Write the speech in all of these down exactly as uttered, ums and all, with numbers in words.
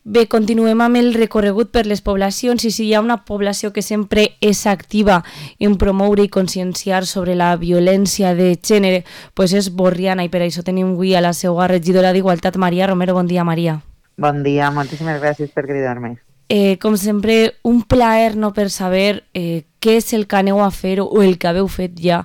Bé, continuem amb el recorregut per les poblacions i si hi ha una població que sempre és activa en promoure i conscienciar sobre la violència de gènere, pues és Borriana i per això tenim avui a la seva regidora d'Igualtat, Maria Romero. Bon dia, Maria. Bon dia, moltíssimes gràcies per cridar-me. Eh, com sempre, un plaer no per saber eh, què és el que aneu a fer o el que haveu fet ja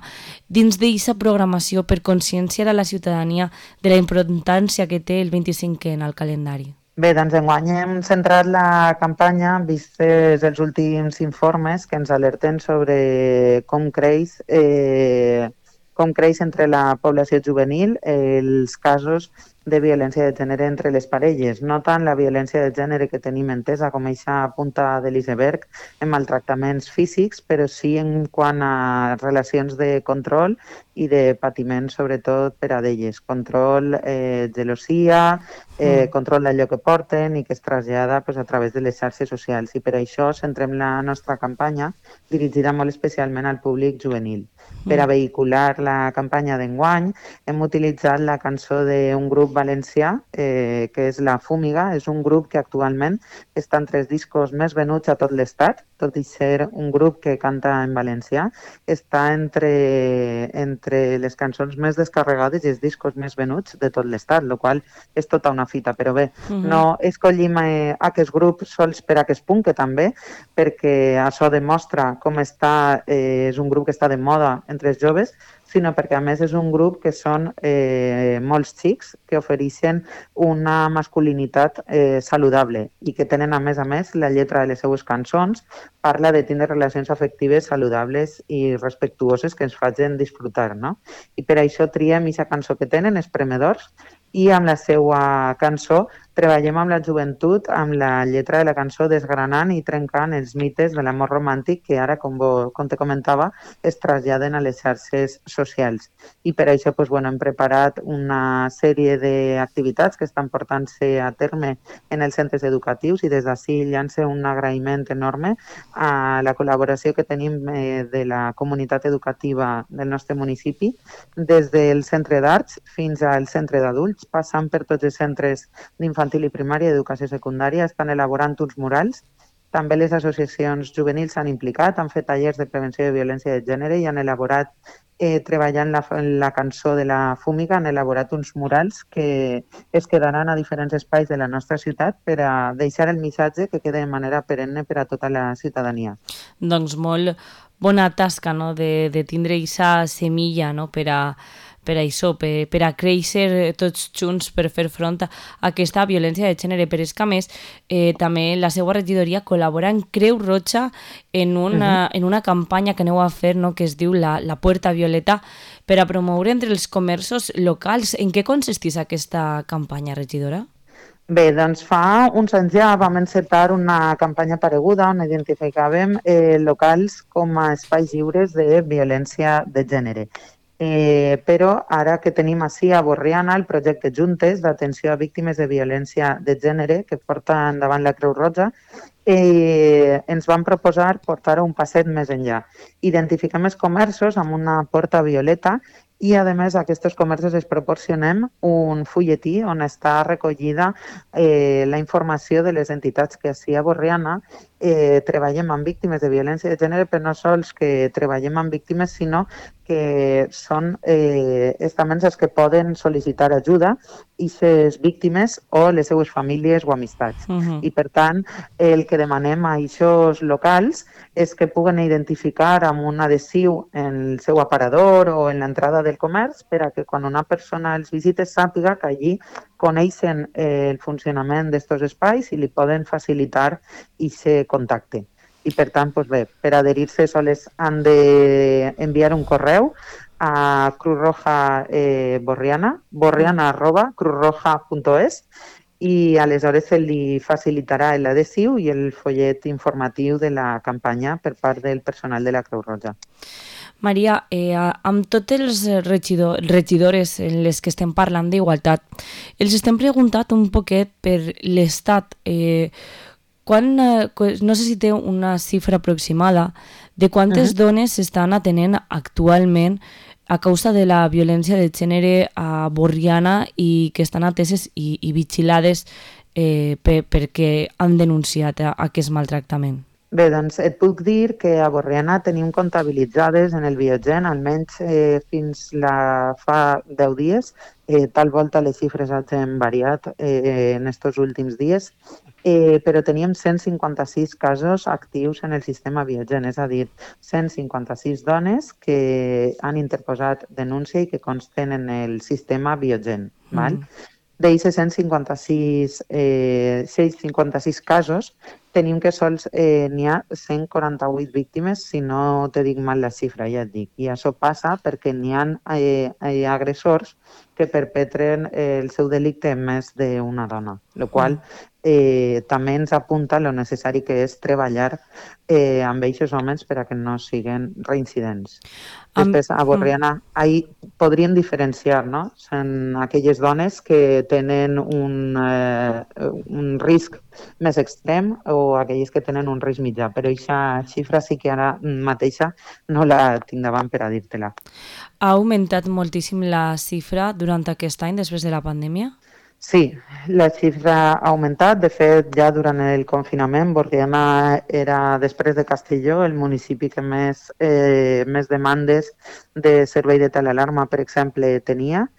dins d'aquesta programació per conscienciar a la ciutadania de la importància que té el vint-i-cinquè en el calendari. Bé, doncs enguany hem centrat la campanya vistes els últims informes que ens alerten sobre com creix, eh, com creix entre la població juvenil els casos de violència de gènere entre les parelles, no tant la violència de gènere que tenim entesa com aquesta punta de l'iceberg en maltractaments físics, però sí en quant a relacions de control i de patiment, sobretot per a d'elles. Control, eh, gelosia, eh, control d'allò que porten i que es trasllada pues, a través de les xarxes socials. I per això centrem la nostra campanya dirigida molt especialment al públic juvenil. Per a vehicular la campanya d'enguany hem utilitzat la cançó d'un grup valencià, eh, que és La Fúmiga. És un grup que actualment està entre els discos més venuts a tot l'estat, tot i ser un grup que canta en valencià, està entre, entre les cançons més descarregades i els discos més venuts de tot l'estat, el qual és tota una fita. Però bé, uh-huh. no escollim eh, aquest grup sols per aquest punt, que també, perquè això demostra com està, eh, és un grup que està de moda entre els joves, sinó perquè a més és un grup que són eh, molts xics que ofereixen una masculinitat eh, saludable i que tenen a més a més la lletra de les seues cançons parla de tindre relacions afectives saludables i respectuoses que ens facin disfrutar, no? I per això triem aquesta cançó que tenen, Espremedors, i amb la seva cançó treballem amb la joventut, amb la lletra de la cançó desgranant i trencant els mites de l'amor romàntic que ara, com, bo, com te comentava, es traslladen a les xarxes socials. I per això pues, bueno, hem preparat una sèrie d'activitats que estan portant-se a terme en els centres educatius i des d'ací llança un agraïment enorme a la col·laboració que tenim eh, de la comunitat educativa del nostre municipi, des del centre d'arts fins al centre d'adults, passant per tots els centres d'infantil i primària i educació secundària, estan elaborant uns murals. També les associacions juvenils s'han implicat, han fet tallers de prevenció de violència de gènere i han elaborat, eh, treballant la, la cançó de La Fúmiga, han elaborat uns murals que es quedaran a diferents espais de la nostra ciutat per a deixar el missatge que queda de manera perenne per a tota la ciutadania. Doncs molt bona tasca, no?, de, de tindre aquesta semilla, no?, per a per a això, per, per a créixer tots junts per fer front a aquesta violència de gènere. Però és que, a més, eh, també la seva regidoria col·labora en Creu Roja en una, uh-huh. en una campanya que aneu a fer, no?, que es diu la, la Puerta Violeta, per a promoure entre els comerços locals. En què consisteix aquesta campanya, regidora? Bé, doncs fa uns anys ja vam encetar una campanya pareguda on identificàvem eh, locals com a espais lliures de violència de gènere. Eh, però ara que tenim així a Borriana el projecte Juntes d'atenció a víctimes de violència de gènere que porta endavant la Creu Roja, eh, ens van proposar portar un passet més enllà. Identifiquem els comerços amb una porta violeta i, a més, a aquests comerços es proporcionem un fulletí on està recollida eh, la informació de les entitats que així a Borriana eh, treballem amb víctimes de violència de gènere, però no sols que treballem amb víctimes, sinó que són eh, estaments els que poden sol·licitar ajuda i les víctimes o les seues famílies o amistats. Uh-huh. I, per tant, el que demanem a aquests locals és que puguen identificar amb un adhesiu en el seu aparador o en l'entrada del comerç per a que quan una persona els visita sàpiga que allí coneixen eh, el funcionament d'aquests espais i li poden facilitar aquest contacte. I per tant, doncs bé, per adherir-se sols han d'enviar un correu a Cruz Roja eh, Borriana, borriana arroba cruzroja punto es, i aleshores se li facilitarà l'adhesiu i el follet informatiu de la campanya per part del personal de la Creu Roja. Maria, eh, amb tots els regidor, regidores en les que estem parlant d'igualtat, els estem preguntant un poquet per l'estat. Eh, quan, eh, no sé si té una xifra aproximada de quantes uh-huh. dones s'estan atenent actualment a causa de la violència de gènere a Borriana i que estan ateses i, i vigilades eh, per, perquè han denunciat aquest maltractament? Bé, doncs et puc dir que a Borriana tenim comptabilitzades en el Biogen, almenys eh, fins la fa deu dies, eh, tal volta les xifres han variat eh, en aquests últims dies, eh, però teníem cent cinquanta-sis casos actius en el sistema Biogen, és a dir, cent cinquanta-sis dones que han interposat denúncia i que consten en el sistema Biogen. Mm. Val? D'ells cent cinquanta-sis, eh, cent cinquanta-sis casos, tenim que sols eh, n'hi ha cent quaranta-vuit víctimes, si no te dic mal la xifra, ja et dic. I això passa perquè n'hi ha eh, eh, agressors que perpetren eh, el seu delicte en més d'una dona, el qual eh, també ens apunta lo necessari que és treballar eh, amb aquests homes per a que no siguin reincidents. Després, a Borriana, ahir podríem diferenciar, no? Són aquelles dones que tenen un, eh, un risc més extrem o aquelles que tenen un risc mitjà, però aquesta xifra sí que ara mateixa no la tinc davant per a dir-te-la. Ha augmentat moltíssim la xifra durant aquest any, després de la pandèmia? Sí, la xifra ha augmentat. De fet, ja durant el confinament, Borriana era, després de Castelló, el municipi que més, eh, més demandes de servei de telealarma, per exemple, tenia.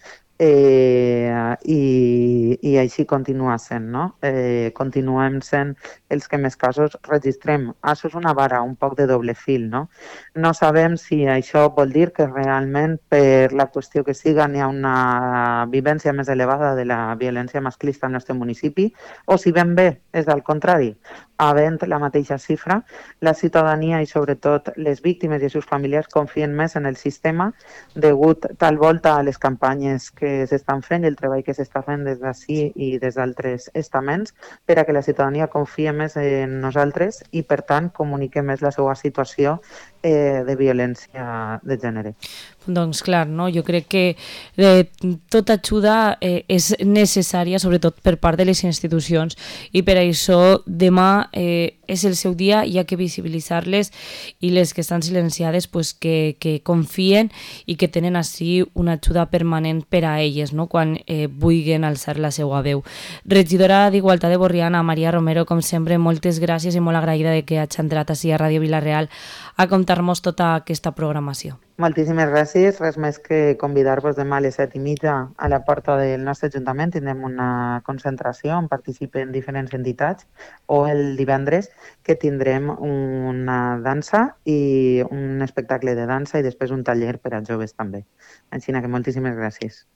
Eh, i, i així continua sent, no? Eh, continuem sent els que més casos registrem. Això és una vara un poc de doble fil, no? No sabem si això vol dir que realment per la qüestió que siga n'hi ha una vivència més elevada de la violència masclista al nostre municipi o si ben bé és al contrari. Havent la mateixa xifra, la ciutadania i sobretot les víctimes i els seus familiars confien més en el sistema degut tal volta a les campanyes que s'estan fent i el treball que s'està fent des d'ací i des d'altres estaments per a que la ciutadania confia més en nosaltres i, per tant, comunique més la seva situació eh, de violència de gènere. Doncs clar, no? Jo crec que eh, tota ajuda eh, és necessària, sobretot per part de les institucions, i per això demà eh, és el seu dia, hi ha que visibilitzar-les i les que estan silenciades pues, que, que confien i que tenen així una ajuda permanent per a elles, no? Quan eh, vulguin alçar la seva veu. Regidora d'Igualtat de Borriana, Maria Romero, com sempre, moltes gràcies i molt agraïda de que hagi entrat així a Ràdio Vila-real a contar-nos tota aquesta programació. Moltíssimes gràcies. Res més que convidar-vos demà a les set i mitja a la porta del nostre Ajuntament. Tindrem una concentració on participen diferents entitats o el divendres que tindrem una dansa i un espectacle de dansa i després un taller per a joves també. Així que moltíssimes gràcies.